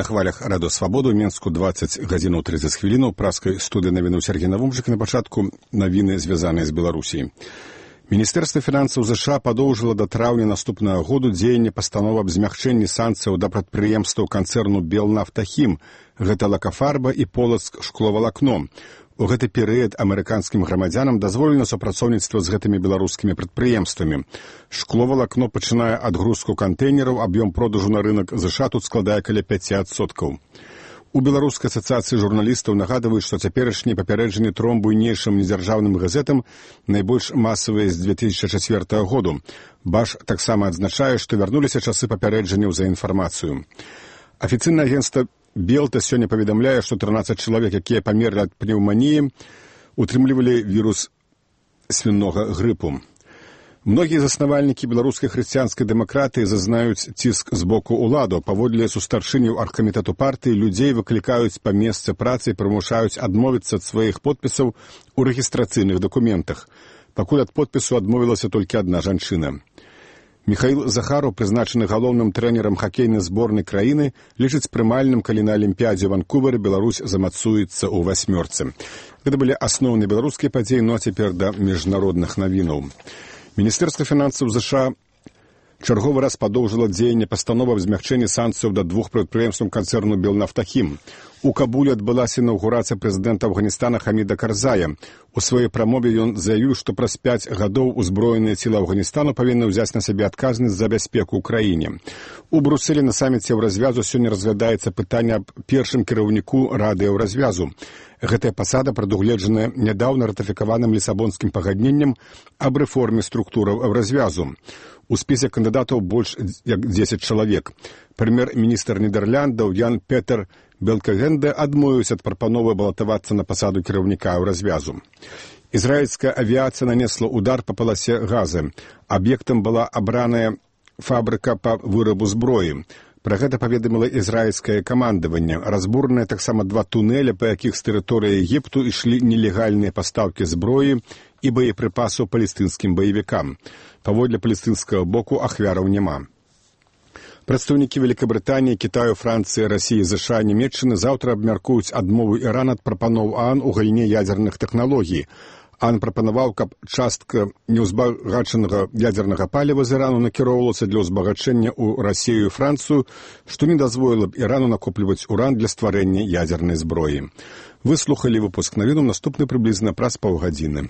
На хвалях Радо Свабоду ў Менску 20 гадзінаў 30 хвілінаў праскай студыі навіну Сергей Навумчык. На пачатку навіны, звязаныя з Беларусіяй. Міністэрства фінансаў ЗША падоўжыла да траўня наступнага году дзеянне пастановы аб змягчэнні санкцыяў да прадпрыемстваў канцэрну «Белнафтахім». Гэта «Лакафарба» і «Полацк шкловалакно». У гэты перыяд амерыканскім грамадзянам дазволена супрацоўніцтва з гэтымі беларускімі прадпрыемствамі. Шкловалакно пачынае адгрузку кантэйнераў, аб'ём продажу на рынак ЗША тут складае каля 5%. У Беларускай асацыяцыі журналістаў нагадваюць, што цяперашнія папярэджанні тром буйнейшым недзяржаўным газетам найбольш масавыя з 2004 году. БАШ таксама адзначае, што вярнуліся часы папярэджанняў за інфармацыю. Афіцыйнае агенцтва Белта сёння паведамляе, што 13 чалавек, якія памерлі ад пнеўманіі, утрымлівалі вірус свінога грыпу. Многія заснавальнікі беларускай хрысціянскай дэмакратыі зазнаюць ціск з боку ўладаў. Паводле сустарчыняў аргкамітэту партыі людзей выклікаюць па месцы працы і прымушаюць адмовіцца ад сваіх подпісаў у рэгістрацыйных дакументах. Пакуль ад подпісу адмовілася толькі адна жанчына. Міхаіл Захараў, прызначаны галоўным трэнерам хакейнай зборнай краіны, лічыць прымальным, калі на Алімпіядзе ў Ванкувары Беларусь замацуецца ў васьмёрцы. Гэта былі асноўныя беларускія падзеі, ну а цяпер да міжнародных навінаў. Міністэрства фінансаў ЗША чарговы раз падоўжыла дзеянне пастановы аб змягчэнні санкцыяў да двух прадпрыемстваў канцэрну «Белнафтахім». У Кабуле адбылася інаўгурацыя прэзідэнта Афганістана Хаміда Карзая. У сваёй прамове ён заявіў, што праз 5 гадоў узброеныя сілы Афганістану павінны ўзяць на сябе адказнасць за бяспеку ў краіне. У Брусэлі на саміце Еўразвязу сёння разглядаецца пытанне аб першым кіраўніку Рады Еўразвязу. Гэтая пасада прадугледжаная нядаўна ратыфікаваным лісабонскім пагадненнем аб рэформе структураў Еўразвязу. У спісе кандыдатаў больш як 10 чалавек. Прэм'ер-міністр Нідерландаў Ян Петер Белкагенде адмовіўся ад прапановы балатавацца на пасаду кіраўніка Еўразвязу. Ізраільская авіяцыя нанесла удар па паласе газы. Аб'ектам была абраная фабрыка па вырабу зброі. Пра гэта паведаміла ізраільскае камандаванне. Разбураныя таксама 2 тунэля, па якіх з тэрыторыі Егіпту ішлі нелегальныя пастаўкі зброі і боепрыпасаў палестынскім баевікам. Паводле палестынскага боку ахвяраў няма. Прадстаўнікі Вялікабрытаніі, Кітаю, Францыі, Расіі, ЗША, Нямецчыны заўтра абмяркуюць адмову Ірана ад прапаноў ААН у галіне ядзерных тэхналогій. ААН прапанаваў, каб частка неўзбагачанага ядзернага паліва з Ірану накіроўвалася для ўзбагачэння ў Расію і Францыю, што не дазволіла б Ірану накопліваць уран для стварэння ядзернай зброі. Вы слухалі выпуск навінаў, наступны прыблізна праз паўгадзіны.